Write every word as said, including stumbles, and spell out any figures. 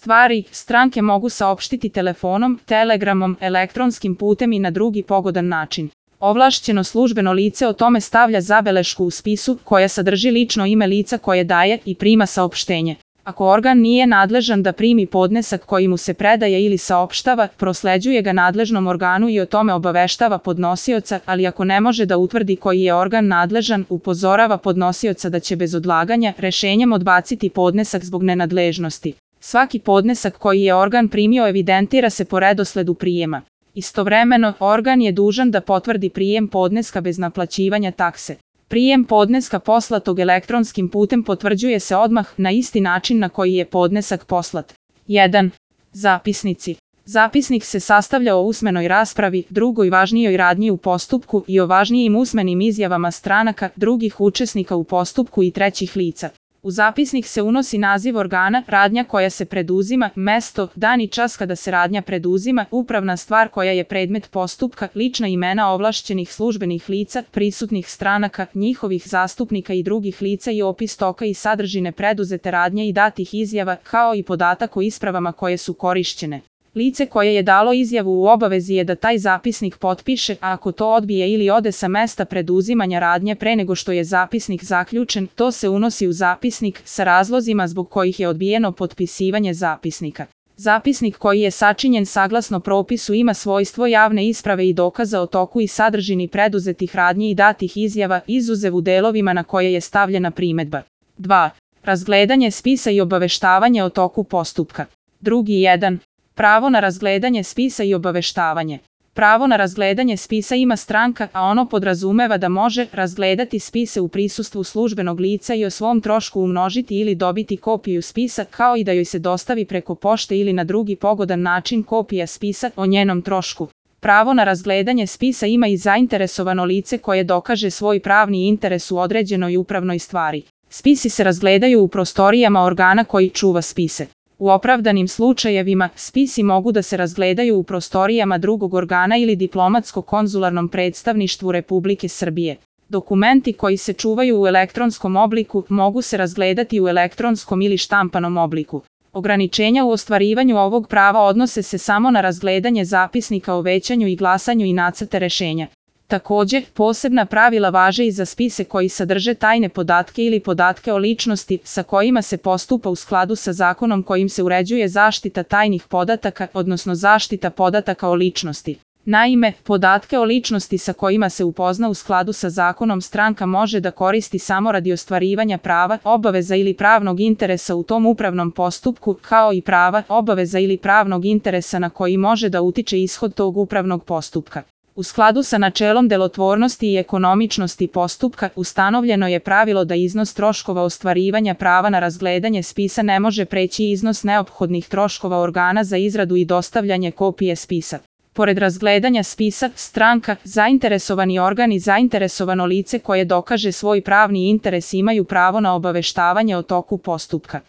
stvari, stranke mogu saopštiti telefonom, telegramom, elektronskim putem i na drugi pogodan način. Ovlašćeno službeno lice o tome stavlja zabelešku u spisu koja sadrži lično ime lica koje daje i prima saopštenje. Ako organ nije nadležan da primi podnesak koji mu se predaje ili saopštava, prosleđuje ga nadležnom organu i o tome obaveštava podnosioca, ali ako ne može da utvrdi koji je organ nadležan, upozorava podnosioca da će bez odlaganja rešenjem odbaciti podnesak zbog nenadležnosti. Svaki podnesak koji je organ primio evidentira se po redosledu prijema. Istovremeno, organ je dužan da potvrdi prijem podneska bez naplaćivanja takse. Prijem podneska poslatog elektronskim putem potvrđuje se odmah na isti način na koji je podnesak poslat. jedan. Zapisnici. Zapisnik se sastavlja o usmenoj raspravi, drugoj važnijoj radnji u postupku i o važnijim usmenim izjavama stranaka, drugih učesnika u postupku i trećih lica. U zapisnik se unosi naziv organa, radnja koja se preduzima, mesto, dan i čas kada se radnja preduzima, upravna stvar koja je predmet postupka, lična imena ovlašćenih službenih lica, prisutnih stranaka, njihovih zastupnika i drugih lica i opis toka i sadržine preduzete radnje i datih izjava, kao i podatak o ispravama koje su korišćene. Lice koje je dalo izjavu u obavezi je da taj zapisnik potpiše, a ako to odbije ili ode sa mesta preduzimanja radnje pre nego što je zapisnik zaključen, to se unosi u zapisnik sa razlozima zbog kojih je odbijeno potpisivanje zapisnika. Zapisnik koji je sačinjen saglasno propisu ima svojstvo javne isprave i dokaza o toku i sadržini preduzetih radnji i datih izjava, izuzev u delovima na koje je stavljena primedba. dva. Razgledanje spisa i obaveštavanje o toku postupka. Drugi jedan. Pravo na razgledanje spisa i obaveštavanje. Pravo na razgledanje spisa ima stranka, a ono podrazumeva da može razgledati spise u prisustvu službenog lica i o svom trošku umnožiti ili dobiti kopiju spisa, kao i da joj se dostavi preko pošte ili na drugi pogodan način kopija spisa o njenom trošku. Pravo na razgledanje spisa ima i zainteresovano lice koje dokaže svoj pravni interes u određenoj upravnoj stvari. Spisi se razgledaju u prostorijama organa koji čuva spise. U opravdanim slučajevima, spisi mogu da se razgledaju u prostorijama drugog organa ili diplomatsko-konzularnom predstavništvu Republike Srbije. Dokumenti koji se čuvaju u elektronskom obliku mogu se razgledati u elektronskom ili štampanom obliku. Ograničenja u ostvarivanju ovog prava odnose se samo na razgledanje zapisnika o većanju i glasanju i nacrte rešenja. Takođe, posebna pravila važe i za spise koji sadrže tajne podatke ili podatke o ličnosti sa kojima se postupa u skladu sa zakonom kojim se uređuje zaštita tajnih podataka, odnosno zaštita podataka o ličnosti. Naime, podatke o ličnosti sa kojima se upozna u skladu sa zakonom stranka može da koristi samo radi ostvarivanja prava, obaveza ili pravnog interesa u tom upravnom postupku, kao i prava, obaveza ili pravnog interesa na koji može da utiče ishod tog upravnog postupka. U skladu sa načelom delotvornosti i ekonomičnosti postupka, ustanovljeno je pravilo da iznos troškova ostvarivanja prava na razgledanje spisa ne može preći iznos neophodnih troškova organa za izradu i dostavljanje kopije spisa. Pored razgledanja spisa, stranka, zainteresovani organ i zainteresovano lice koje dokaže svoj pravni interes imaju pravo na obaveštavanje o toku postupka.